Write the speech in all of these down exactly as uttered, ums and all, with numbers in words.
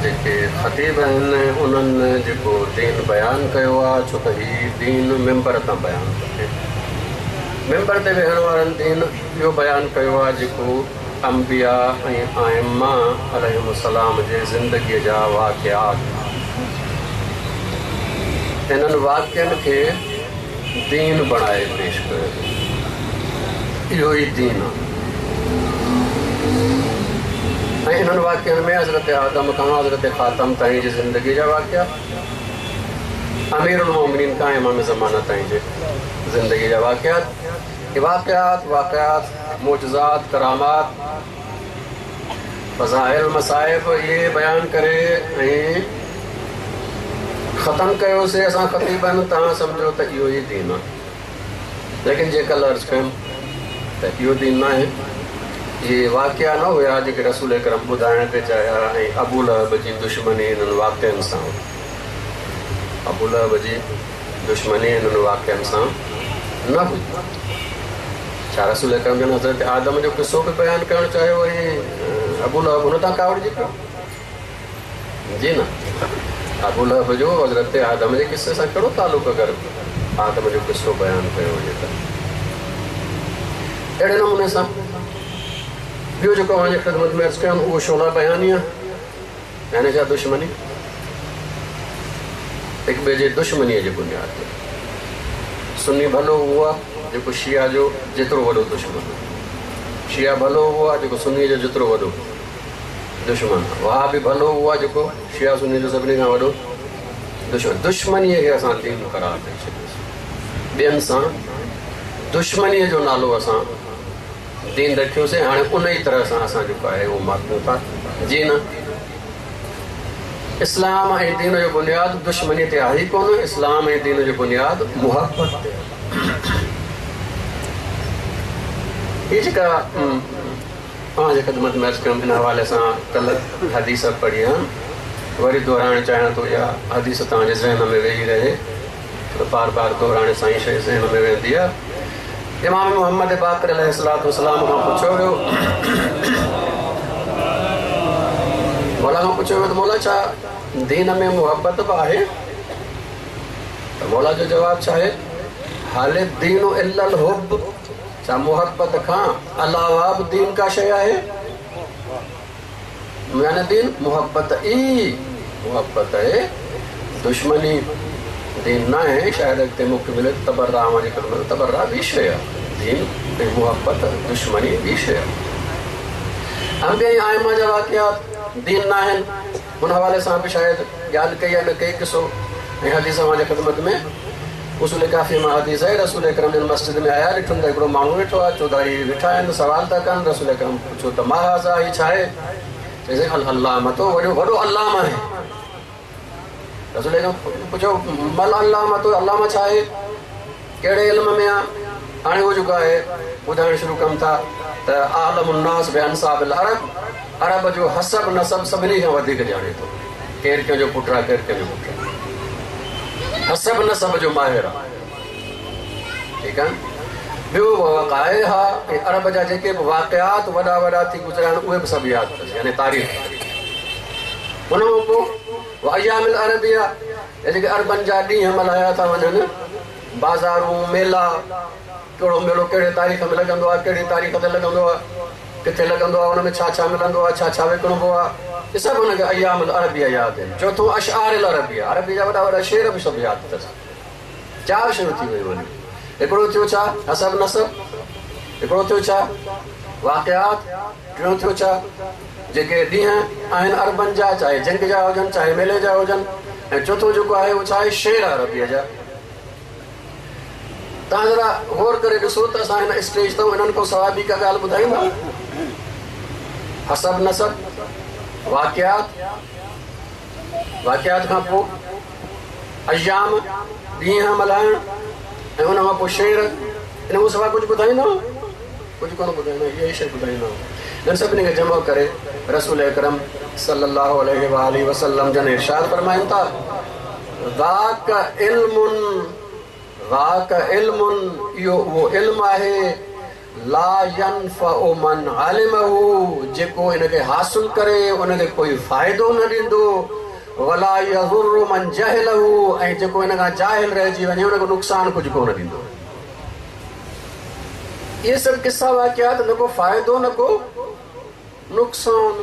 जेके ख़तीब आहिनि उन्हनि जेको दीन बयानु कयो आहे, छो त हीउ दीन मेंबर तां बयानु थो थिए। मेंबर ते वेहण वारनि दीन इहो बयानु कयो आहे जेको अंबिया ऐं आइम्मा अलैहिमुस्सलाम जे ज़िंदगीअ जा वाक़िआत, इन्हनि वाक़ियनि खे दीन बणाए पेश कयो। इहो ई दीन आहे। ऐं इन्हनि वाक़ियनि में हज़रत आदम खां हज़रत ख़ातम ताईं जी ज़िंदगी जा वाक़िआ, अमीरुल मोमिनीन खां इमाम ज़माना ताईं जे ज़िंदगी जा वाक़िआत, वाक़िआत वाक़िआत मोजज़ात, करामात, फ़ज़ाइल, मसाइब इहे बयानु करे ऐं ख़तमु कयोसीं असां ख़तीबनि। तव्हां सम्झो त इहो ई दीन आहे, लेकिन जे कल्ह अर्ज़ु कयुमि त इहो दीन न आहे। इहे वाक़िया न हुया जेके रसूल करम ॿुधाइण पे चाहिया ऐं अबू लहब जी दुश्मनी इन्हनि वाक़ियनि सां, अबू लहब जी दुश्मनी इन्हनि वाक़ियनि सां न हुई। छा रसूल करम जन हज़रत आदम जो क़िसो बि बयानु करणु चाहियो ऐं अबू लहब हुन तां कावड़िजी पियो? जी न, अबू लहब जो हज़रत आदम जे क़िसे सां कहिड़ो तालुक़ु? अगरि आदम जो क़िसो बयानु कयो वञे त अहिड़े नमूने सां ॿियो जेको अव्हांजी ख़िदमत में अर्ज़ु कयुमि उहो शोला बयानी आहे, यानी छा दुश्मनी, हिक ॿिए जे दुश्मनीअ जे बुनियाद ते। सुन्नी भलो उहो आहे जेको शिया जो जेतिरो वॾो दुश्मन आहे, शिया भलो उहो आहे जेको सुन्नी जो जेतिरो वॾो दुश्मन आहे, वहाबी भलो उहो आहे जेको शिया सुन्नी जो सभिनी खां वॾो दुश्मन। दुश्मनीअ खे असां दीन करार ॾेई छॾियोसीं, ॿियनि सां दुश्मनीअ जो नालो असां दीन रखियोसीं। हाणे उन ई तरह सां असां जेको आहे उहो मापियूं था। जी न, इस्लाम ऐं दीन जो बुनियादु दुश्मनी ते आहे ई कोन। इस्लाम ऐं दीन जो बुनियादु मुहबत ते आहे। हीअ जेका तव्हांजी ख़िदमत में अर्ज़ु कयुमि, इन हवाले सां कल्ह हदीस पढ़ी आहे, वरी दोहराइण चाहियां थो। इहा हदीस तव्हांजे ज़हन में वेही रहे, त बार बार दोहराइण सां ई शइ ज़हन में वेंदी आहे। इमाम मोहम्मद बाक़िर अलैहिस्सलातु वस्सलाम खां पुछियो वियो, मौला खां पुछियो वियो त मौला छा दीन में मुहबत बि आहे? त मौला जो जवाबु छा आहे? हाल दीन इल्लल हुब, छा मुहबत खां अलावा बि दीन का शइ आहे? यानी दीन मुहबत ई मुहबत आहे, दुश्मनी दीन न आहे। शायदि अॻिते मूंखे मिले तबर्रा अव्हांजी ख़िदमत, तबर्रा ॿी शइ आहे, दीन ऐं मुहबत दुश्मनी ॿी शइ आहे। अंबिया ऐं आइमा जा वाक़िआत दीन न आहिनि, हुन हवाले सां बि शायदि ॻाल्हि कई आहे न कई क़िसो ऐं हदीस अव्हांजे ख़िदमत में उसूल काफ़ी मां हदीस आहे। रसूल अकरम जन मस्जिद में आया, ॾिठुनि त हिकिड़ो माण्हू वेठो आहे, चौधारी वेठा आहिनि, सवाल था कनि। रसूल अकरम पुछियो त मां हाज़ा, हीउ छा आहे? चयईं अल अल्लामतो, वॾो वॾो अल्लामा आहे। रसूल अकरम पुछियो मल अल्लामतो, अल्लामा छा आहे, कहिड़े इल्म में आहे? हाणे उहो जेको आहे ॿुधाइण शुरू कनि था त आलमुन्नास बि अंसाबिल अरब, अरब जो हसब नसब सभिनी खां वधीक ॼाणे थो, केरु कंहिंजो पुटु आहे, केरु कंहिंजो पुटु आहे, हसब नसब जो माहिर आहे। ठीकु आहे। ॿियो वक़ाए हा, ऐं अरब जा जेके बि वाक़िआत वॾा वॾा थी गुज़रिया आहिनि उहे बि सभु यादि अथसि, यानी तारीख़। हुन खां पोइ अयामिल अरबिया, जेके अरबनि जा ॾींहं मल्हाया था वञनि, बाज़ारूं, मेला, कहिड़ो मेलो कहिड़े तारीख़ में लॻंदो आहे, कहिड़ी तारीख़ ते लॻंदो आहे, किथे लॻंदो आहे, हुन में छा छा मिलंदो आहे, छा छा विकिणबो आहे, इहे सभु हुनखे अयामुल अरबिया यादि आहिनि। चोथों अशआरिल अरबिया, अरबी जा वॾा वॾा शेर बि सभु यादि अथसि। चारि शयूं थी वयूं आहिनि। हिकिड़ो थियो छा हसब नसब, हिकिड़ो थियो छा वाक़िआत, टियों थियो छा जेके ॾींहं आहिनि अरबनि जा, चाहे जंग जा हुजनि चाहे मेले जा हुजनि, ऐं चोथों जेको आहे उहो छा आहे शेर अरबीअ जा। तव्हां ज़रा गौर करे ॾिसो त असां हिन स्टेज ते इन्हनि खां सवाइ ॿी का ॻाल्हि ॿुधाईंदा? हसब नसब, वाक़िआत, वाक़िआत खां पोइ अयाम ॾींहं मल्हाइण, ऐं हुन खां पोइ शेर। इन खां सवाइ कुझु ॿुधाईंदा? कुझु कोन ॿुधाईंदा, इहा ई शइ ॿुधाईंदा। इन्हनि सभिनी खे जमा करे रसूल अकरम सल्लल्लाहु अलैहि वसल्लम जन इरशाद फरमाइनि था, ज़ाक इल्मुन, ज़ाक इल्मुन, इहो उहो इल्म आहे, لا ينفع من علمه जेको हिनखे हासिल करे उनखे कोई फ़ाइदो न ॾींदो, वला यज़ुर्रु मन जहिलहु ऐं जेको हिन खां जाहिल रहिजी वञे उनखे नुक़सानु कुझु कोन ॾींदो। इहे सभु किस्सा वाक़िया त न को फ़ाइदो न को नुक़सानु।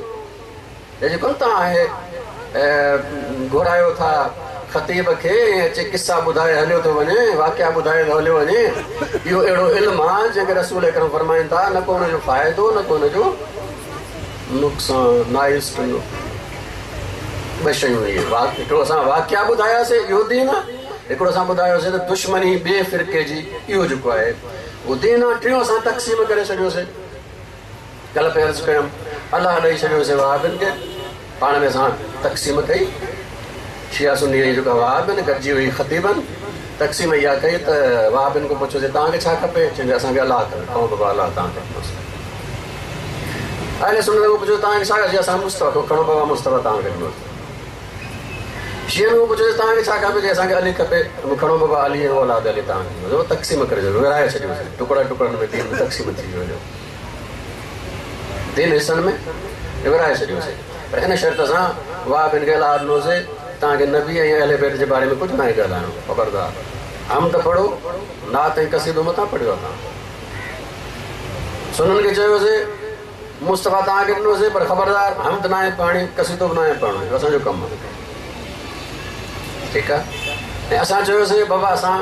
जेको तव्हां आहे घुरायो था ख़तीब खे अचे किस्सा ॿुधाए हलियो थो वञे, वाक़िया ॿुधाए हलियो वञे, इहो अहिड़ो इल्मु आहे जंहिंखे रसूल अकरम फरमाइनि था न को हुनजो फ़ाइदो न को हुनजो नुक़सानु। नाइस ॿ शयूं इहे, हिकिड़ो असां वाक़िया ॿुधायासीं इहो दीन आहे, हिकिड़ो असां ॿुधायोसीं त दुश्मनी ॿिए फ़िरक़े जी इहो जेको आहे उहो दीन आहे। टियों असां तक़सीम करे छॾियोसीं, कल्ह पे अर्ज़ु कयमि अलाह ॾेई छॾियोसीं वहाबियुनि खे, पाण में असां तक़सीम कई, शिया सुन्नी जेका वहाबियुनि गॾिजी वई ख़तीबनि, तक़सीम इहा कई त वहाबियुनि खां पुछियोसीं तव्हांखे छा खपे, चवंदे असांखे अलाह खपे, खणो बाबा अलाह तव्हांखे ॾिनोसीं। अहले सुन्नत खां पुछियो तव्हांखे छा खपे, असां मुस्तफ़ा खां, खणो बाबा मुस्तफ़ा तव्हांखे ॾिनोसीं। शियनि खां पुछियोसीं तव्हांखे छा खपे, असांखे अली खपे, खणो बाबा अली ऐं औलाद अली तव्हांखे ॾिनोसीं। तक़सीम करे छॾियो, विराए छॾियोसीं, टुकड़ा टुकड़नि में दीन तक़सीम थी वियो, दीन हिसनि में विराए छॾियोसीं। पर इन शर्त सां वहाबियुनि खे अलाह ॾिनोसीं तव्हांखे नबी ऐं अहले बैत जे बारे में कुझु नाहे ॻाल्हाइणो, ख़बरदार हम त पढ़ो, नात ऐं कसीदो मथां पढ़ियो तव्हां। सुननि खे चयोसीं मुस्तफ़ा तव्हांखे ॾिनोसीं पर ख़बरदार हम त नाहे पढ़णी, कसीदो बि नाहे पढ़णो, इहो असांजो कमु आहे, ठीकु आहे। ऐं असां चयोसीं बाबा असां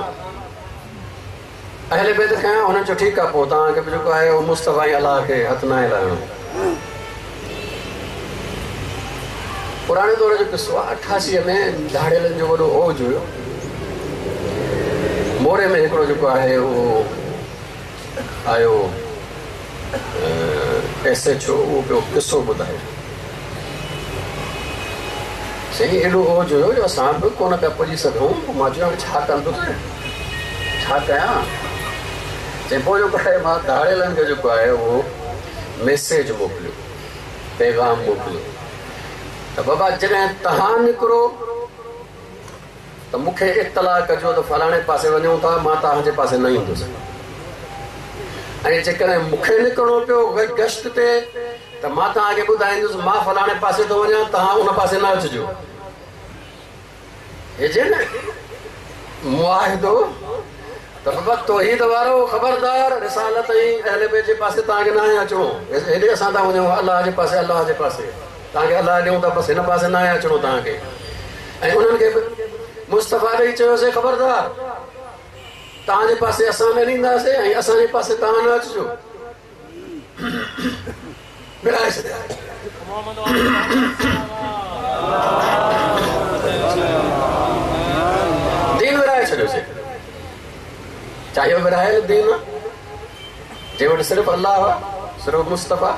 अहले बैत कयां, हुननि चयो ठीकु आहे पोइ तव्हांखे बि जेको आहे उहो मुस्तफ़ा ऐं अलाह खे हथु नाहे लाइणो। पुराणे दौर जो किस्सो आहे, अठासीअ में धाड़ियलनि जो वॾो औज हुयो। मोरे में हिकिड़ो जेको आहे उहो आयो एस एच ओ, उहो पियो किस्सो ॿुधाए, सही एॾो औज हुयो जो असां बि कोन पिया पुॼी सघूं। पोइ मां चयो हाणे छा कंदुसि, छा कयां? चई पोइ जेको आहे मां धाड़ियलनि खे जेको आहे उहो मैसेज मोकिलियो, पैगाम मोकिलियो त बाबा जॾहिं तव्हां निकिरो त मूंखे इतला कजो त फलाणे पासे वञूं था, मां तव्हांजे पासे न ईंदुसि। ऐं जेकॾहिं मूंखे निकिरणो पियो गश्त ते त मां तव्हांखे ॿुधाईंदुसि मां फलाणे पासे थो वञा, तव्हां उन पासे न अचिजो। हे न मुआहिदो त बाबा तौहीद वारो ख़बरदार रिसालत ऐं अहले बैत जे पासे तव्हांखे न आहे अचिणो, हेॾे असां था वञूं अलाह जे पासे, अलाह जे पासे तव्हांखे अलाह ॾियूं था, बसि हिन पासे न आहे अचिणो तव्हांखे। ऐं उन्हनि खे बि मुस्तफ़ा ॾेई चयोसीं ख़बरदार तव्हांजे पासे असां न ॾींदासीं ऐं असांजे पासे तव्हां न अचिजो। विराए छॾिया। दीन विराए छॾियोसीं, चाहे इहो विरायल दीन आहे जंहिं वटि सिर्फ़ु अलाह आहे, सिर्फ़ु मुस्तफ़ा,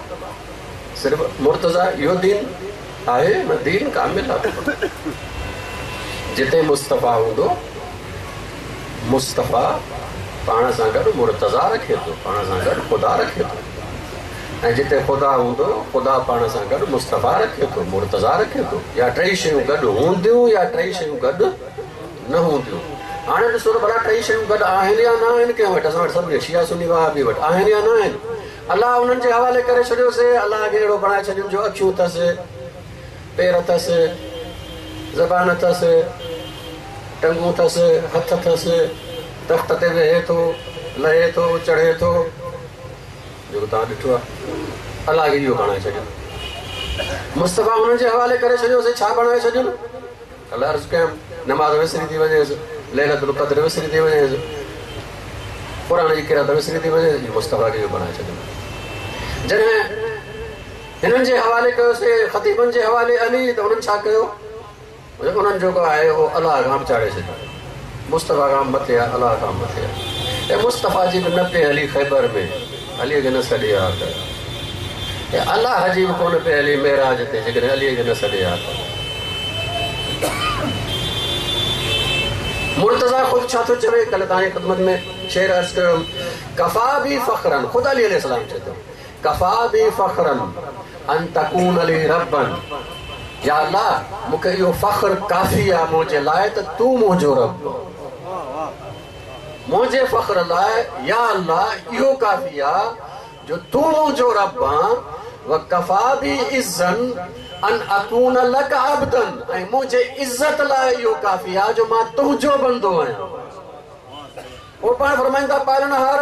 सिर्फ़ु मुर्तज़ा, इहो दीन आहे न, दीन कामिल आहे। जिते मुस्तफ़ा हूंदो मुस्तफ़ा पाण सां गॾु मुर्तज़ा रखे थो, पाण सां गॾु ख़ुदा रखे थो, ऐं जिते ख़ुदा हूंदो ख़ुदा पाण सां गॾु मुस्तफ़ा रखे थो, मुर्तज़ा रखे थो। या टई शयूं गॾु हूंदियूं या टई शयूं गॾु न हूंदियूं। हाणे ॾिसो त भला टई शयूं गॾु आहिनि या न आहिनि? कंहिं वटि? असां वटि सभु शिया सुन्नी वहाबी वटि आहिनि या न आहिनि? अलाह उन्हनि जे हवाले करे छॾियोसीं, अलाह खे अहिड़ो बणाए छॾियो जो अखियूं अथसि, पेर अथसि, ज़बान अथसि, टंगूं अथसि, हथ अथसि, तख़्त ते वेहे थो, लहे थो, चढ़े थो, जेको तव्हां ॾिठो आहे। अलाह खे इहो बणाए छॾियो, मुस्तफ़ा उन्हनि जे हवाले करे छॾियोसीं। छा बणाए छॾियो? अलाह अर्ज़ु कयमि नमाज़ विसरी थी वञेसि, लैलतुल क़द्र विसरी थी वञेसि, क़ुरान जी क़िरात विसरी थी वञेसि, मुस्तफ़ा खे इहो बणाए छॾियो। जॾहिं हिननि जे हवाले कयोसीं ख़तीबनि जे हवाले अली, त उन्हनि छा कयो? उन्हनि जेको आहे उहो अलाह खां बि चाढ़े छॾियो, मुस्तफ़ा खां मथे आहे, अलाह खां मथे आहे। ऐं मुस्तफ़ा जी बि न पई हली ख़ैबर में, अलीअ खे न सॾे हा त, ऐं अलाह जी बि कोन पई हली मेराज ते, जेकॾहिं अलीअ खे न सॾे हा त। मुर्तज़ा ख़ुदि छा थो चवे? कल्ह तव्हांजी ख़िदमत में शेर अर्ज़ कयो, कफ़ा बि फ़ख़रन, ख़ुदि अली अलैहिस्सलाम चए थो, कफ़ा बि फ़ख़रन अन तकून अली रब्बन, या अल्लाह मूंखे इहो फ़ख़्र काफ़ी आहे मुंहिंजे लाइ त तूं मुंहिंजो रब, मुंहिंजे फ़ख्र लाइ या अल्लाह इहो काफ़ी आहे जो तूं मुंहिंजो रब आहीं। व कफ़ा बी इज़्ज़न अन अकून लक अब्दन, ऐं मुंहिंजे इज़त लाइ इहो काफ़ी आहे जो मां तुंहिंजो बंदो आहियां। पोइ पाण फरमाइनि था पालणहार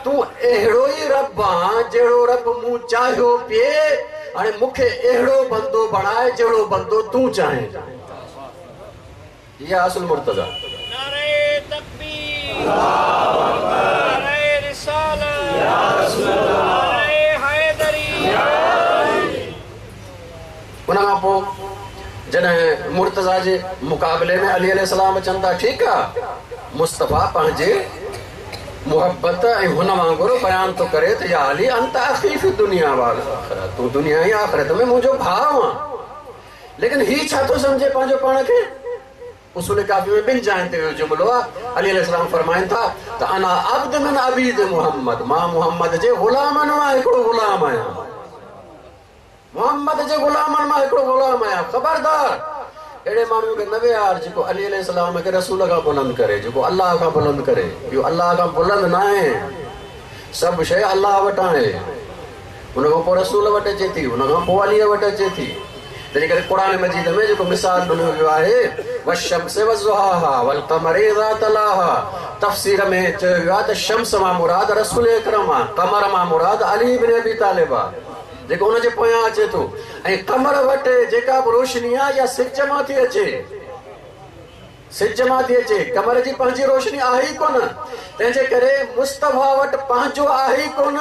तूं अहिड़ो ई रब आहीं जहिड़ो रब मूं चाहियो पिए, हाणे मूंखे अहिड़ो बंदो बणाए जहिड़ो बंदो तूं चाहे। इहा असुल मुर्तज़ा। नारे तकबीर, नारे रिसालत, नारे हैदरी। उन खां पोइ जॾहिं मुर्तज़ा जे मुक़ाबले में अली अलैहिस्सलाम अचनि था, ठीकु आहे, मुस्तफ़ा पंहिंजे मुहब्बत ऐं हुन वांगुरु बयानु थो करे त या अली अंत अख़ी फ़ी दुनिया वल आख़िरत, तूं दुनिया ऐं आख़िरत में मुंहिंजो भाउ आहीं। लेकिन ही छा थो सम्झे पंहिंजो पाण खे? उसूल काफ़ी में ॿिनि जाइनि ते इहो जुमिलो आहे। अली अलैहिस्सलाम फरमाइनि था त अना अब्द मिन अबीद मुहम्मद, मां मुहम्मद जे ग़ुलामनि मां हिकिड़ो ग़ुलाम आहियां, मुहम्मद जे ग़ुलामनि मां हिकिड़ो ग़ुलाम आहियां। ख़बरदार अहिड़े माण्हू खे न विहार जेको अली अलैहिस्सलाम खे रसूल खां बुलंद करे, जेको अल्लाह खां बुलंद करे। इहो अल्लाह खां बुलंद न आहे, सभु शइ अल्लाह वटि आहे। उन खां पोइ रसूल वटि अचे थी, उन खां पोइ अलीअ वटि अचे थी। तंहिंजे करे क़ुरान मजीद में जेको मिसाल ॾिनो वियो आहे वश्शम्स वज़ुहाहा वलक़मर इज़ा तलाहा, तफ़सीर में चयो वियो आहे त शम्स मां मुराद रसूल अकरम आहे, कमर मां मुराद अली इब्न अबी तालिब आहे जेको हुनजे पोयां अचे थो। ऐं कमर वटि जेका बि रोशनी आहे या सिज मां थी अचे, सिज मां थी अचे, कमर जी पंहिंजी रोशनी आहे ई कोन। तंहिंजे करे मुस्तफ़ा वटि पंहिंजो आहे ई कोन,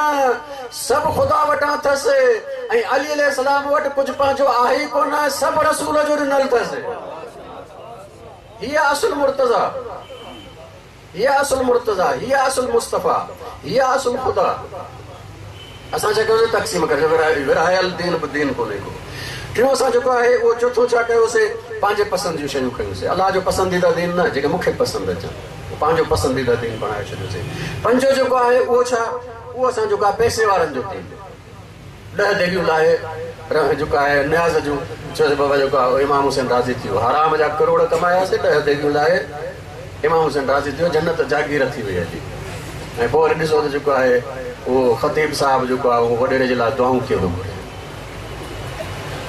सभु ख़ुदा वटां अथसि। ऐं अली अलैहिस्सलाम वटि कुझु पंहिंजो आहे ई कोन, सभु रसूल जो ॾिनल अथसि। हीअ असुल मुर्तज़ा, हीअ असुल मुर्तज़ा, हीअ असुल मुस्तफ़ा, हीअ असुल ख़ुदा। असां छा कयोसीं? तक़सीम करे विरायल दीन बि दीन कोन्हे को। टियों असां जेको आहे उहो चोथों छा कयोसीं? पंहिंजे पसंदि जूं शयूं खयूंसीं। अल्लाह जो पसंदीदा दीन न, जेके मूंखे पसंदि अचनि, पंहिंजो पसंदीदा दीन बणाए छॾियोसीं। पंजो जेको आहे उहो छा? उहो असां जेको आहे पैसे वारनि जो दीन। ॾह देगियूं लाहे जेको आहे नियाज़ जूं, चयोसीं बाबा जेको आहे इमाम हुसैन राज़ी थी वियो, हराम जा करोड़ कमायासीं, ॾह देगियूं लाहे इमाम हुसैन राज़ी थी वियो, जन्नत जागीर थी वई हली। ऐं पोइ वरी ॾिसो त जेको आहे उहो ख़तीब साहिबु जेको आहे उहो वॾेरे जे लाइ दुआऊं कीअं थो घुरे।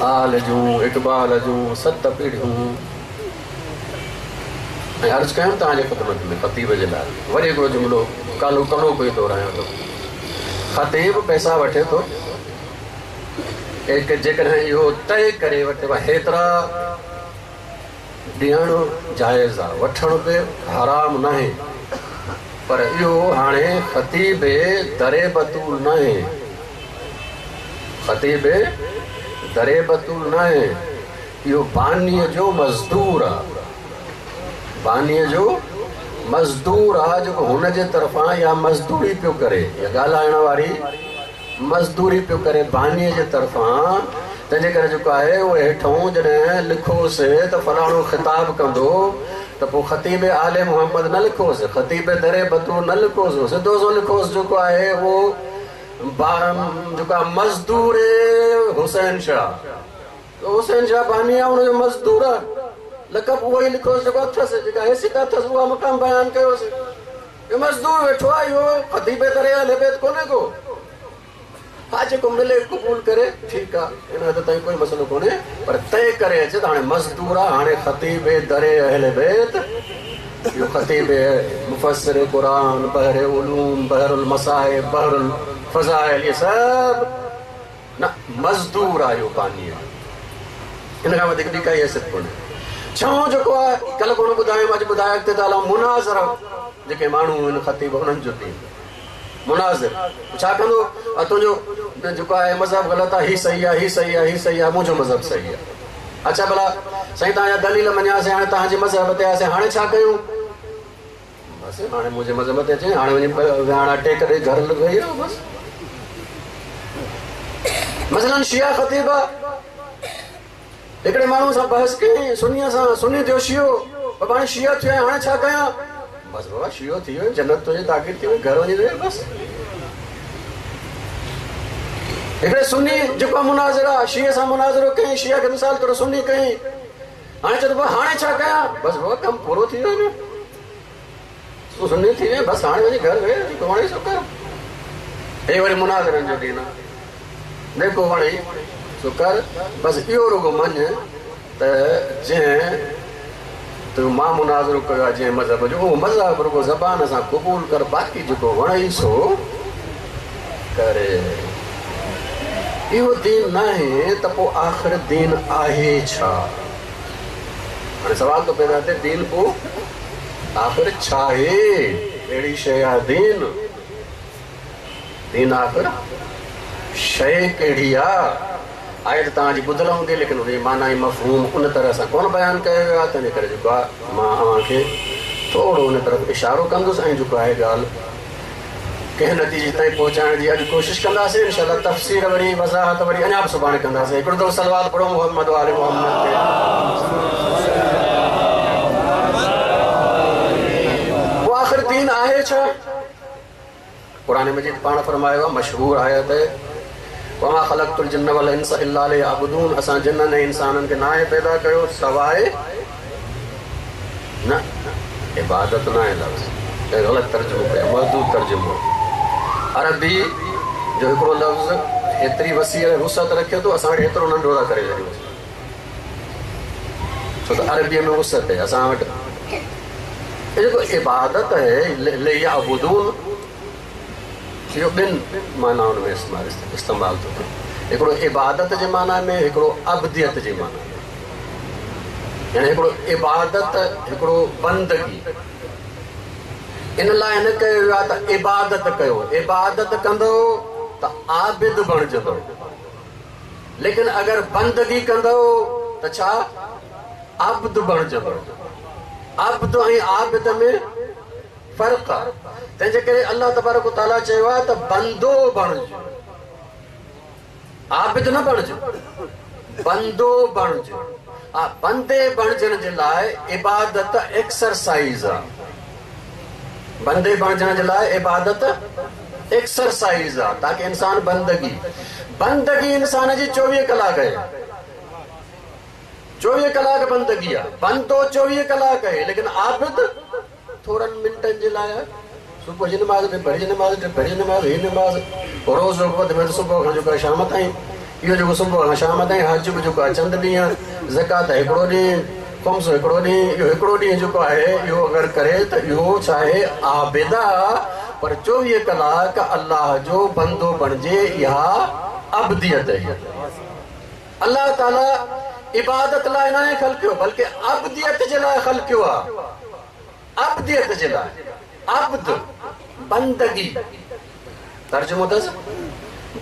आल जूं, इक़बाल जूं सत पीढ़ियूं। ऐं अर्ज़ु कयुमि तव्हांजे ख़िदमत में ख़तीब जे लाइ वरी हिकिड़ो जुमिलो कालो कलो कोई दोहरायां थो। ख़तीब पैसा वठे थो, जेकॾहिं इहो तय करे वठे भई हेतिरा ॾियणु जाइज़ आहे, वठणु बि हराम न आहे, पर इहो हाणे ख़तीब दरे बतूल न आहे, ख़तीब दरे बतूल न आहे, इहो बानीअ जो मज़दूर आहे, बानीअ जो मज़दूर आहे जेको हुनजे तरफ़ां या मज़दूरी पियो करे या ॻाल्हाइण वारी मज़दूरी पियो करे बानीअ जे तरफ़ां। तंहिंजे करे जेको आहे उहो हेठों जॾहिं लिखोसि त फलाणो ख़िताब कंदो त पोइ ख़तीब आले मोहम्मद न लिखोसि, ख़तीब दरे बतूल न लिखोसि, सिधो सो लिखोसि जेको आहे उहो जेको आहे मज़दूर हुसैन शाह। त हुसैन शाह बानी आहे, हुनजो मज़दूर आहे, लक़ब उहो ई लिखोसि जेको अथसि, जेका हैसियत अथसि उहा मक़ाम बयानु कयोसि। इहो मज़दूर वेठो आहे, इहो ख़तीब दरे अहले बैत कोन्हे को। हा जेको मिले क़बूल करे ठीकु आहे, इन हद ताईं कोई मसइलो कोन्हे, पर तय करे अचे त हाणे मज़दूर आहे, हाणे ख़तीब दरे अहले बैत, इहो ख़तीब मुफ़स्सिर क़ुरान, बहर उलूम, बहरुल मसाइब, बहरुल फ़ज़ाइल, इहे सभु न मज़दूर आहे इहो बानीअ जो। इन खां वधीक ॿी काई हैसियत कोन्हे। छहों जेको आहे कल्ह कोन ॿुधायुमि, अॼु ॿुधाए अॻिते त हलां। मुनाज़रा जेके माण्हू आहिनि ख़तीब उन्हनि जो दीन मुनाज़िर छा कंदो? तुंहिंजो जेको आहे मज़हब ग़लति आहे, हीउ सही आहे, हीउ सही आहे, हीउ सही आहे, मुंहिंजो मज़हब सही आहे। अच्छा भला साईं तव्हांजा दलील मञियासीं, हाणे तव्हांजे मज़हब ते आयासीं, हाणे छा कयूं? बसि हाणे मुंहिंजे मज़हब ते अचे, हाणे वञी विहाणा टेक ॾेई घर वेही रहो बसि। मसलन शिया ख़तीब आहे, हिकिड़े माण्हू सां बहस कयईं सुनीअ सां, सुनी थियो शियो, बाबा हाणे शिया थियो आहियां, हाणे छा कयां? बसि बाबा शियो थी वियो, जन्नत तुंहिंजी ताक़ीर थी वई, घर वञी वेह बसि। हिकिड़े सुनी जेको मुनाज़िर आहे, शिए सां मुनाज़िरो कयईं, शिया खे मिसाल तौरु सुनी कयईं, हाणे चए थो हाणे छा कयां? बसि बाबा कमु पूरो थी वियो न, तूं सुन्नी थी वियो, बसि हाणे वञी घर वेह, जेको वणेई सो कर। हे वरी मुनाज़िरनि जो दीन आहे, जेको वणेई सो कर, बसि इहो रुॻो मञ त जंहिं तूं मां मुनाज़िरो कयो आहे जंहिं मज़हब जो, उहो मज़हब रुॻो ज़बान सां क़बूल कर, बाक़ी जेको वणेई सो करे। इहो दीन न आहे त पोइ आख़िर दीन आहे छा? हाणे सवाल थो पैदा थिए, दीन पोइ आख़िर छा आहे? कहिड़ी शइ आहे दीन? दीन आख़िर शइ कहिड़ी आहे? आयत तव्हांजी ॿुधल हूंदी, लेकिन हुनजी माना ऐं मफ़हूम उन तरह सां कोन बयानु कयो वियो आहे। तंहिंजे करे जेको आहे मां अव्हांखे थोरो उन तरफ़ इशारो कंदुसि ऐं जेको आहे ॻाल्हि कंहिं नतीजे ताईं पहुचाइण जी अॼु कोशिशि कंदासीं। इंशाअल्लाह तफ़सीर वरी वज़ाहत वरी अञा बि सुभाणे कंदासीं। हिकिड़ो दफ़ो सलवात पढ़ो मोहम्मद वाले मोहम्मद ते। पोइ आख़िर दीन आहे छा? क़ुरान मजीद पाण फरमायो आहे, मशहूर आयत आहे, वमा ख़लक़तुल जिन्न वल इंस इल्ला लियअबुदून। असां जिन्ननि ऐं इंसाननि खे नाहे पैदा कयो सवाइ न इबादत न आहे लफ़्ज़, ग़लति तर्जुमो कयो, महदूद तर्जुमो। अरबी जो हिकिड़ो लफ़्ज़ एतिरी वसी वुसअत रखे थो, असां वटि एतिरो नंढो था करे छॾियूं, छो त अरबीअ में वुसअत आहे। असां वटि जेको इबादत आहे लियअबुदून, इहो ॿिनि मानाउनि में इस्तेमालु थो थिए। हिकिड़ो इबादत जे माना में, हिकिड़ो अबदियत जे माना में। यानी हिकिड़ो इबादत, हिकिड़ो बंदगी। इन लाइ न कयो वियो आहे त इबादत कयो, इबादत कंदो त आबिद बणिजंदो, लेकिन अगरि बंदगी कंदो त छा? अब्द बणिजंदो। अब्द ऐं आबिद में फ़र्क़ु आहे। तंहिंजे करे अलाह तबारक तआला चयो आहे त बंदो बणिजो, आबिद न बणिजो, बंदो बणिजो। हा, बंदे बणिजण जे लाइ इबादत एक्सरसाइज़ आहे। बंदे बणिजण जे लाइ इबादत एक्सरसाइज़ आहे, ताकि इंसान बंदगी बंदगी इंसान जी चोवीह कलाक आहे, चोवीह कलाक बंदगी आहे। बंदो चोवीह कलाक आहे, लेकिन आबिद थोरनि मिंटनि जे लाइ आहे। सुबुह जी नमाज़, ॿिपहर जी नमाज़, टिपहर जी नमाज़, हीअ नमाज़, रोज़ वधि में वधि सुबुह खां जेको आहे शाम ताईं, इहो जेको सुबुह खां शाम ताईं, हज बि जेको आहे चंद ॾींहं, ज़कात हिकिड़ो ॾींहुं, ख़ुम्स हिकिड़ो ॾींहुं, इहो हिकिड़ो ॾींहुं जेको आहे इहो अगरि करे त इहो छा आहे? आबिद आहे। पर चोवीह कलाक अलाह जो बंदो बणिजे, इहा अबदियत आहे। अलाह ताला इबादत लाइ नाहे ख़लकियो, बल्कि अबदियत जे लाइ ख़लकियो आहे। अबदियत जे लाइ, अब्द बंदगी, तर्जुमो अथसि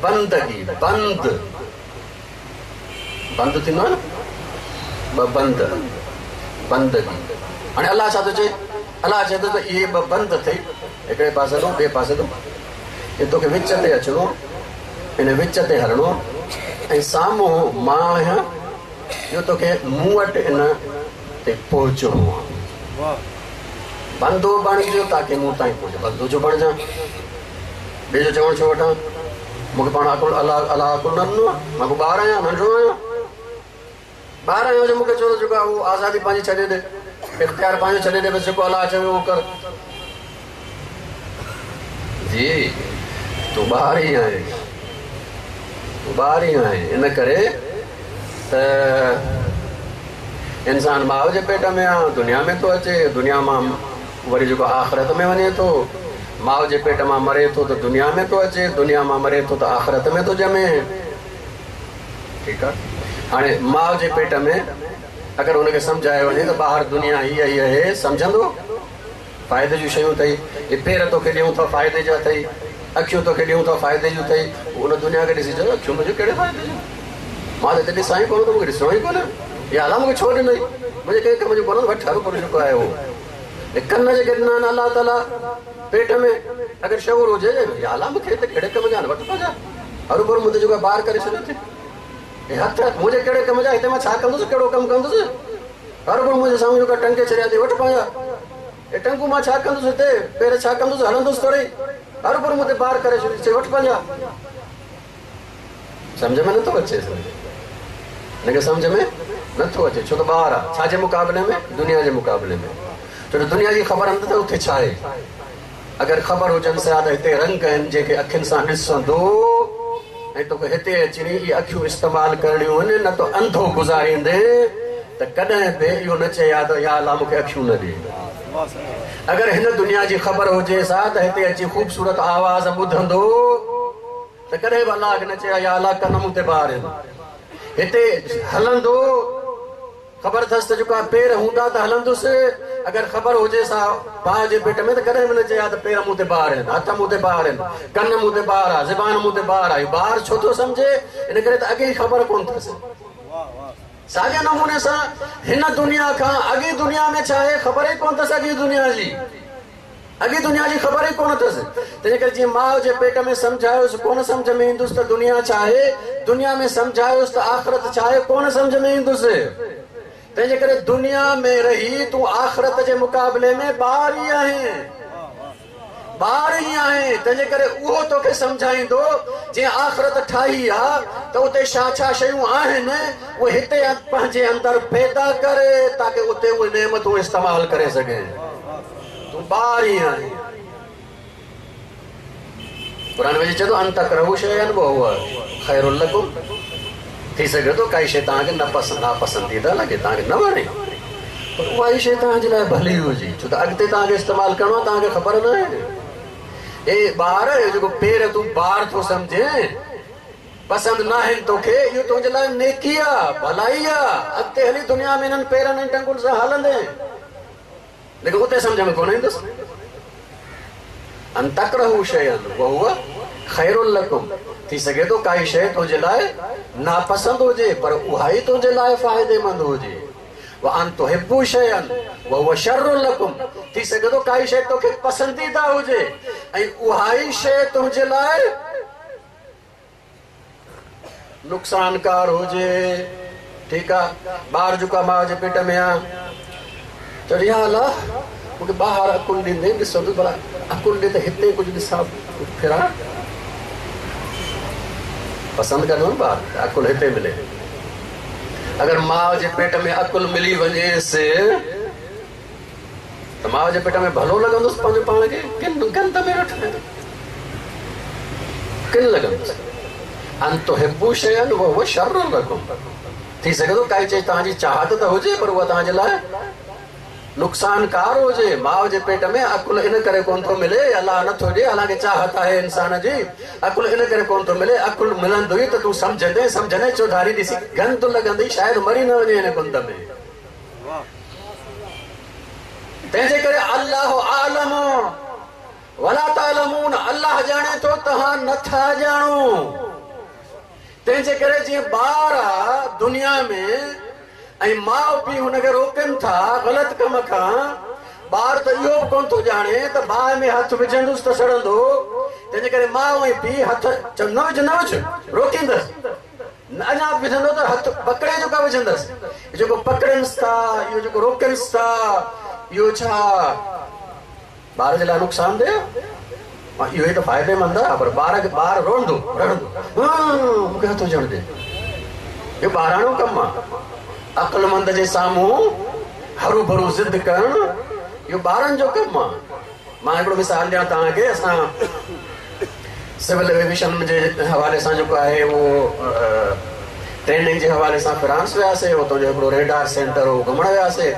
बंदगी, बंद बंद थींदो आहे न, ॿ बंद, बंदगी। हाणे अलाह छा थो चए? अलाह चए थो त इहे ॿ बंद अथई, हिकिड़े पासे तूं, ॿिए पासे तूं, हे तोखे विच ते अचिणो, इन विच ते हलणो ऐं साम्हूं मां आहियां, इहो तोखे मूं वटि इन ते पहुचणो आहे। बंदो बणिजो ताकि मूं ताईं पहुचे। बंदो जो बणिजां, ॿिए जो चवणु छो वठां? मूंखे पाण अकुल अलाह अलाह अकुल न ॾिनो आहे, मां को ॿार आहियां, नंढो आहियां, ॿार आहियां जो मूंखे चयो जेको आहे उहो आज़ादी पंहिंजी छॾे ॾे, इख़्तियार पंहिंजो छॾे ॾे, बसि जेको अलाह चवे उहो कर। जी तूं ॿार ई आहीं, तूं ॿार ई आहीं। इन करे त इंसान माउ जे पेट में आहे, दुनिया में थो अचे, दुनिया मां वरी जेको आख़िरत में वञे थो। माउ जे पेट मां मरे थो त दुनिया में थो अचे, दुनिया मां मरे थो त आख़िरत में थो ॼमे। ठीकु आहे। हाणे माउ जे पेट में अगरि हुनखे सम्झायो वञे त ॿाहिरि दुनिया हीअ हीअ हे, सम्झंदो? फ़ाइदे जूं शयूं अथई, इहे पेर तोखे ॾियूं था फ़ाइदे जा अथई, अखियूं तोखे ॾियूं था फ़ाइदे जूं अथई। उन दुनिया खे ॾिसी चयो अखियूं मुंहिंजूं कहिड़े फ़ाइदे जूं? मां त हिते ॾिसां ई कोन थो, मूंखे ॾिसणो ई कोन्हे। या अलाह मूंखे छो ॾिनई? मुंहिंजे कंहिं कम जो कोन्हे, वठि हरू जेको आहे उहो। कन जेके ॾिना आहिनि अलाह ताला पेट में, अगरि शऊर हुजे या अलाह मूंखे हिते कहिड़े कम जा आहिनि, वठि पंहिंजा, हरू भरू मुंहिंजे जेको ॿार करे छॾियो अथई। हथ मुंहिंजे कहिड़े कम जा, हिते मां छा कंदुसि, कहिड़ो कमु कंदुसि? हरू भरू मुंहिंजे साम्हूं जेको टंके छॾिया अथई, वठि पंहिंजा, हे टंकूं मां छा कंदुसि हिते, पेर छा कंदुसि, हलंदुसि थोरी, हरू भरू मूं ते ॿार करे छॾियो अथई, वठि पंहिंजा। सम्झ में नथो अचे, हिनखे सम्झ में नथो अचे, छो त ॿार आहे। छाजे मुक़ाबले में? दुनिया जे मुक़ाबले में। छो त दुनिया जी ख़बर न त उते छा आहे। अगरि ख़बर हुजनि सा त हिते रंग आहिनि जेके अखियुनि सां ॾिसंदो ऐं तोखे हिते अची इहे अखियूं इस्तेमालु करणियूं आहिनि, न त अंधो गुज़ारींदे त कॾहिं बि इहो न चए हा त या अलाह मूंखे अखियूं न ॾे। अगरि हिन दुनिया जी ख़बर हुजे सा त हिते अची ख़ूबसूरत आवाज़ ॿुधंदो त कॾहिं बि अलाह खे न चए या अलाह कन मूं ते ॿार आहिनि। हिते हलंदो ख़बर अथसि त जेको पेर हूंदा त हलंदुसि, अगरि ख़बर हुजे सा माउ जे पेट में त कॾहिं बि न चए हा त पेर मूं ते ॿार आहिनि, हथ मूं ते ॿार आहिनि, कन मूं ते ॿार आहे, ज़बान मूं ते ॿार आहे। ॿार छो थो सम्झे? इन करे त अॻे ई ख़बर कोन अथसि। साॻे नमूने सां हिन दुनिया खां अॻी दुनिया में छा आहे ख़बर ई कोन अथसि, अॻी दुनिया जी अॻी दुनिया जी ख़बर ई कोन अथसि। तंहिंजे करे जीअं माउ जे पेट में सम्झायोसि कोन सम्झ में ईंदुसि त दुनिया छा आहे, दुनिया में सम्झायोसि त आख़िरत छा आहे कोन सम्झ में ईंदुसि। तंहिंजे करे दुनिया में रही तूं आख़िरत जे मुक़ाबले में ॿार ई आहीं, ॿार ई आहीं। तंहिंजे करे उहो तोखे सम्झाईंदो जीअं आख़िरत ठाही आहे त उते छा छा शयूं आहिनि उहे हिते पंहिंजे अंदरि पैदा करे ताकी उते उहे नेमतूं इस्तेमालु करे सघे। तूं ॿार ई आहीं। क़ुर में चए थो अन तकरहू शैअन वहुव ख़ैरुल लकुम। थी सघे थो काई शइ तव्हांखे न पसंदि नापसंदीदा लॻे, तव्हांखे न वणे, पर उहा ई शइ तव्हांजे लाइ भली हुजे, छो त अॻिते तव्हांखे इस्तेमालु करिणो आहे, तव्हांखे ख़बर न आहे। ए ॿार, जेको पेर तूं ॿार थो सम्झे पसंदि न आहिनि तोखे, इहो तुंहिंजे लाइ नेकी आहे, भलाई आहे। अॻिते हली दुनिया में इन्हनि पेरनि ऐं टंगुनि सां हलंदे, लेकिन उते सम्झ में कोन ईंदुसि। अन तकरहू शैअन वहुव ख़ैरुल लकुम। थी सघे थो काई शइ तुंहिंजे लाइ नापसंदि हुजे पर उहा ई तुंहिंजे लाइ फ़ाइदेमंद हुजे। व अन तुहिब्बू शैअन वहुव शर्रुल लकुम। थी सघे थो काई शइ तोखे पसंदीदा हुजे ऐं उहा ई शइ तुंहिंजे लाइ नुक़सानकार हुजे। ठीकु आहे, ॿार जेको आहे माउ जे पेट में आहे, चयो या अलाह मूंखे ॿाहिरि अकुल ॾींदे ॾिसंदुसि, भला अकुल ॾे त हिते कुझु ॾिसां फिरां, पसंदि कंदो न ॿार, अकुल हिते मिले। अगरि माउ जे पेट में अकुल मिली वञेसि त माउ जे पेट में भलो लॻंदुसि पंहिंजो पाण खे, किन गंद में वेठो किन लॻंदुसि। अन तुहिब्बू शैअन वहुव शर्रुल लकुम। थी सघे थो काई चीज़ तव्हांजी चाहत त हुजे पर उहा तव्हांजे लाइ नुक़सानकार हुजे। माउ जे पेट में अकुल इन करे कोन थो मिले, अलाह नथो ॾिए, हालांकि चाहत आहे इंसान जी, अकुल इन करे कोन थो मिले। अकुल मिलंदो ई त तूं सम्झंदे, सम्झंदे चौधारी ॾिसी गंद लॻंदी, शायदि मरी न वञे हिन गंद में। तंहिंजे करे अल्लाह आलम वला तालमून, अल्लाह ॼाणे थो तव्हां नथा ॼाणो। तंहिंजे करे जीअं ॿार आहे दुनिया में ऐं माउ पीउ हुनखे रोकनि था ग़लति कम खां, ॿार त इहो बि कोन थो ॼाणे त बाहि में हथु विझंदुसि त सड़ंदो। तंहिंजे करे माउ ऐं पीउ हथु चओ न विझ न विझ, रोकींदसि, अञा बि विझंदो त हथु पकड़े जेको विझंदसि। जेको पकड़नि था, इहो जेको रोकनि था, इहो छा ॿार जे लाइ नुक़सानदेह? इहो ई त फ़ाइदेमंद आहे, पर ॿार खे ॿार रोअंदो रड़ंदो, मूंखे हथु विझणु ॾे, इहो ॿाराणो कमु आहे। अक़लमंद जे साम्हूं हरू भरू ज़िद करणु इहो ॿारनि जो कमु आहे। मां हिकिड़ो मिसाल ॾियां तव्हांखे, असां सिविल एविएशन जे हवाले सां जेको आहे उहो ट्रेनिंग जे हवाले सां फ्रांस वियासीं, उतां जो हिकिड़ो रेडार सेंटर हो, घुमण वियासीं।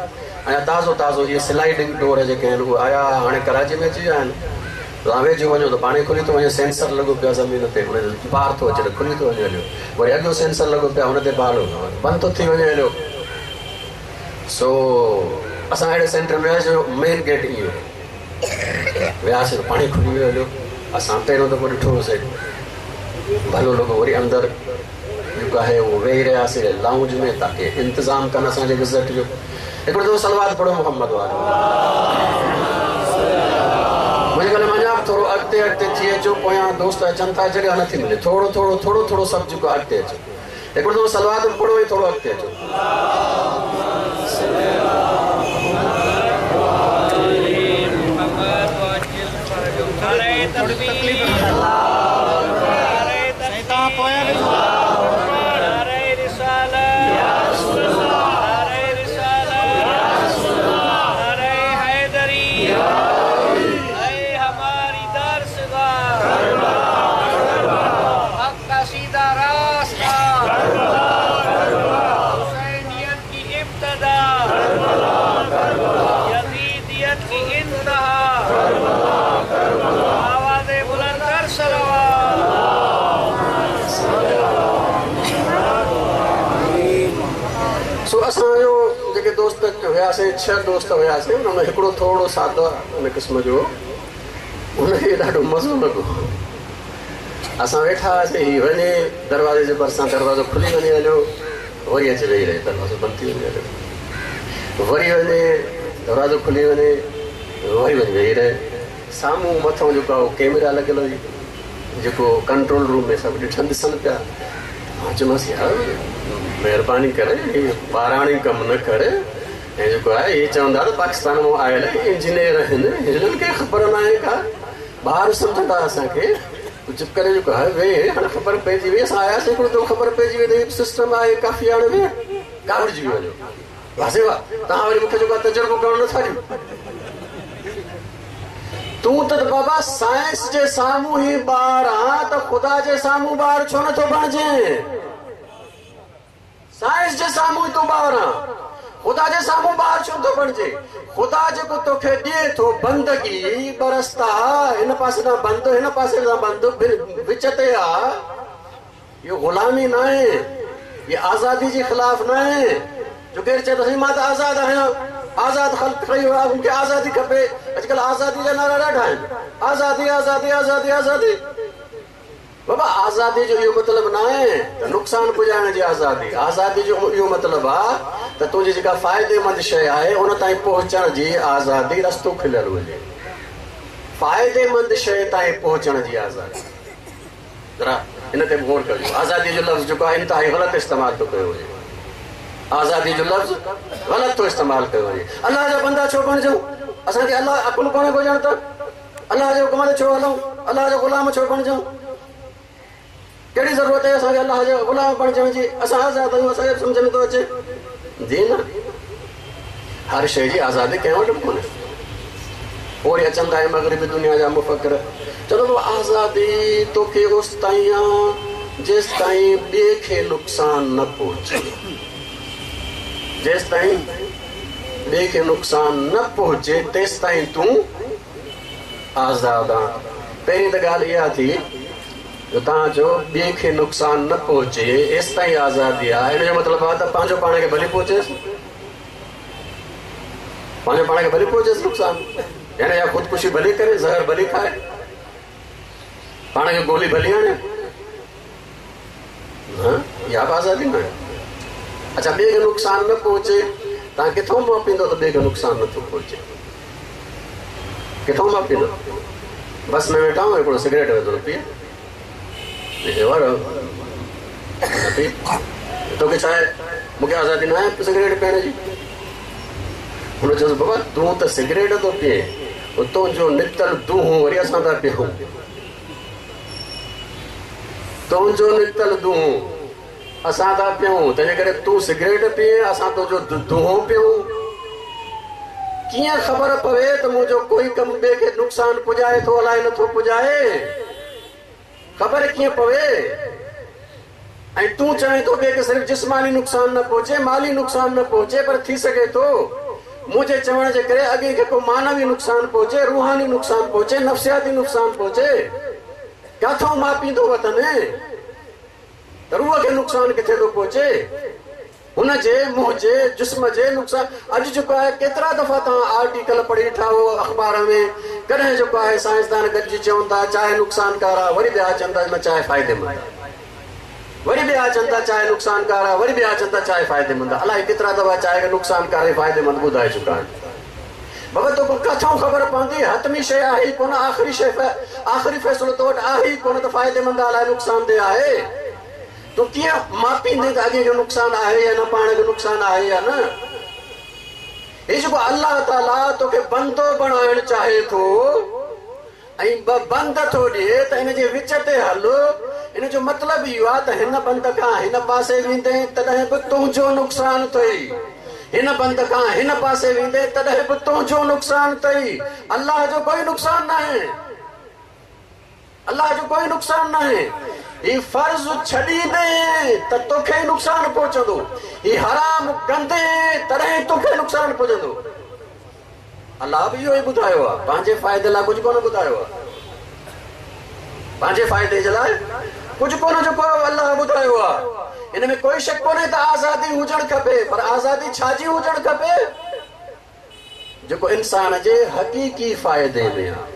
ऐं ताज़ो ताज़ो इहे स्लाइडिंग डोर जेके आहिनि उहे आया, हाणे कराची में अची विया आहिनि। तव्हां वेझो वञो त पाण ई खुली थो वञे, सेंसर लॻो पियो आहे ज़मीन ते, हुन पार थो अचे त खुली थो वञे हलियो, वरी अॻियों सेंसर लॻो पियो आहे हुन ते बाल बंदि थो थी वञे हलियो। सो असां अहिड़े सेंटर में वियासीं जो मेन गेट ईअं वियासीं त पाण ई खुली वियो हलियो। असां पहिरियों दफ़ो ॾिठो हुउसीं, भलो लॻो। वरी अंदरि जेको आहे उहो वेही रहियासीं लाउंज में ताकी इंतज़ामु कनि असांजे विज़िट जो। हिकिड़ो दफ़ो सलवात पढ़ो मोहम्मद वारो। मुंहिंजे ख़्याल में अञा बि थोरो अॻिते अॻिते थी अचो, पोयां दोस्त अचनि था, जॻह नथी मिले, थोरो थोरो थोरो थोरो सभु जेको अॻिते अचो। हिकिड़ो दफ़ो सलवात बि पढ़ो ऐं थोरो अॻिते अचो। असांजो जेके दोस्त हुयासीं, छह दोस्त हुयासीं, उन में हिकिड़ो थोरो सादो उन क़िस्म जो, उनखे ॾाढो मज़ो लॻो। असां वेठा हुआसीं, हीअ वञे दरवाज़े जे भरिसां, दरवाज़ो खुली वञे हलियो, वरी अची वेही रहे, दरवाज़ो बंदि थी वञे हलियो, वरी वञे दरवाज़ो खुली वञे, वरी वञी वेही रहे। साम्हूं मथां जेको आहे कैमरा लॻियल हुई, जेको कंट्रोल रूम में सभु ॾिठनि ॾिसनि पिया। मां चयोमांसि यार महिरबानी करे ॿाराणी कमु न करे, ऐं जेको आहे इहे चवंदा त पाकिस्तान मां आयल इंजीनियर आहिनि, हिननि खे ख़बर न आहे का, ॿार सम्झंदा असांखे। चुप करे जेको आहे वेह, हाणे ख़बर पइजी वई, असां आयासीं हिकिड़ो दफ़ो ख़बर पइजी वई त सिस्टम आहे काफ़ी, हाणे वेह काविड़जी वञो। वाह वाह, तव्हां वरी मूंखे जेको आहे तजुर्बो करणु नथा ॾियो। तूं त बाबा साइंस जे साम्हूं ई ॿार आं, त ख़ुदा जे साम्हूं ॿार छो नथो बणिजे? साइंस जे साम्हूं ई तूं ॿार आं, ख़ुदा जे साम्हूं ॿार छो नथो बणिजे? ख़ुदा जेको तोखे ॾिए थो बंदगी, ॿ रस्ता, हिन पासे खां बंदि, हिन पासे खां बंदि, विच ते आहे। इहो ग़ुलामी न आहे, इहो आज़ादी जे ख़िलाफ़ न आहे। जो केरु चए त साईं मां त आज़ादु आहियां, आज़ाद ख़ल्क ठही वियो आहे, मूंखे आज़ादी खपे। अॼुकल्ह आज़ादी जा नारा ॾाढा आहिनि, आज़ादी आज़ादी आज़ादी आज़ादी। बाबा आज़ादी जो इहो मतिलबु न आहे त नुक़सानु पुॼाइण जी आज़ादी। आज़ादी जो इहो मतिलबु आहे त तुंहिंजी जेका फ़ाइदेमंद शइ आहे उन ताईं पहुचण जी आज़ादी, रस्तो खुलियल हुजे, फ़ाइदेमंद शइ ताईं पहुचण जी आज़ादी। ज़रा इन ते बि गौर कजो। आज़ादी जो लफ़्ज़ जेको आहे इंतिहाई ग़लति इस्तेमालु थो कयो वञे, आज़ादी जो लफ़्ज़ ग़लति थो इस्तेमालु कयो वञे। अलाह जा बंदा छो बणिजूं? असांखे अलाह अकुलु कोन्हे को ॼण त अलाह जे हुकुम ते छो हलूं? अलाह जो ग़ुलाम छो बणिजूं? कहिड़ी ज़रूरत आहे असांखे अलाह जो ग़ुलाम बणिजण जी? असां आज़ादु आहियूं, असांखे सम्झ में थो अचे। जी न, हर शइ जी आज़ादी कंहिं वटि बि कोन्हे। पोइ वरी अचनि था मग़रिबी दुनिया जा मुफ़क्र, चलो बाबा आज़ादी तोखे उस ताईं आहे जेसि ताईं ॿिए खे नुक़सानु न पहुचे, जेसि ताईं ॿिए खे नुक़सानु न पहुचे तेसि ताईं तूं आज़ादु आहीं। पहिरीं त ॻाल्हि इहा थी जो तव्हां चओ ॿिए खे नुक़सानु न पहुचे एसि ताईं आज़ादी आहे। हिन जो मतिलबु आहे त पंहिंजो पाण खे भली पहुचेसि, पंहिंजो पाण खे भली पहुचेसि नुक़सानु, यानी या ख़ुदकुशी भली करे, ज़हर भली खाए, पाण खे गोली भली हणे, इहा बि आज़ादी न आहे। अच्छा, ॿिए खे नुक़सानु न पहुचे, तव्हां किथां मापींदो त ॿिए खे नुक़सानु नथो पहुचे? किथां मापींदो? बस में वेठा आहियूं, हिकिड़ो सिगरेट वेठो पीए, तोखे छा आहे, मूंखे आज़ादी न आहे सिगरेट पीअण जी? हुन चयोसि बाबा तूं त सिगरेट थो पीए, तुंहिंजो निकितल दूहों वरी असां था पीऊं, तुंहिंजो निकितल दूहों असां था पीऊं, तंहिंजे करे तूं सिगरेट पीए, असां तुंहिंजो दूहों पीऊं। कीअं ख़बर पवे त मुंहिंजो कोई कमु ॿिए खे नुक़सानु पुॼाए थो अलाए नथो पुॼाए? ख़बर कीअं पवे? ऐं तूं चवें थो ॿिए खे सिर्फ़ु जिस्मानी नुक़सानु न पहुचे, माली नुक़सानु न पहुचे, पर थी सघे थो मुंहिंजे चवण जे करे अॻे खे को मानवी नुक़सानु पहुचे, रूहानी नुक़सानु पहुचे, नफ़्सियाती नुक़सानु पहुचे। किथां मापींदो वतन त रूह खे नुक़सानु किथे थो पहुचे? हुनजे मुंहिंजे जिस्म जे नुक़सानु। अॼु जेको आहे केतिरा दफ़ा तव्हां आर्टिकल पढ़ी ॾिठा हो अख़बार में, कॾहिं जेको आहे साइंसदान गॾिजी चवनि था चाहे नुक़सानकार आहे, वरी ॿिया चवनि था न चाहे फ़ाइदेमंद आहे, वरी ॿिया चवनि था चाहे नुक़सानकार आहे, वरी ॿिया चवनि था चाहे फ़ाइदेमंद आहे। अलाए केतिरा दफ़ा चाहे खे नुक़सानकार ऐं फ़ाइदेमंद ॿुधाए चुका आहिनि। बाबा तोखे किथां ख़बर पवंदी? हतमी शइ आहे ई कोन, आख़िरी शइ आख़िरी फ़ैसिलो तो वटि आहे ई कोन त फ़ाइदेमंद आहे अलाए नुक़सानदेह आहे। तूं कीअं मापींदे त अॻे खे नुक़सानु आहे या न, पाण खे नुक़सानु आहे या न? हीउ जेको अलाह ताला तोखे बंदो बणाइण चाहे थो ऐं ॿ बंद थो ॾिए त हिन जे विच ते हल। इन जो मतिलबु इहो आहे त हिन बंद खां हिन पासे वेंदे तॾहिं बि तुंहिंजो नुक़सानु अथई, हिन बंद खां हिन पासे वेंदे तॾहिं बि तुंहिंजो नुक़सानु अथई। अलाह जो कोई नुक़सानु न आहे, अलाह जो कोई नुक़सानु न आहे। ही फ़र्ज़ छॾींदे त तोखे नुक़सानु पहुचंदो, ही हराम कंदे तॾहिं तोखे नुक़सानु पहुचंदो। अलाह बि इहो ई ॿुधायो आहे, पंहिंजे फ़ाइदे लाइ कुझु कोन ॿुधायो आहे, पंहिंजे फ़ाइदे जे लाइ कुझु कोन जेको अलाह ॿुधायो आहे। इन इन में कोई शक कोन्हे त आज़ादी हुजणु खपे, पर आज़ादी छाजी हुजणु खपे? जेको इंसान जे हक़ीक़ी फ़ाइदे में आहे।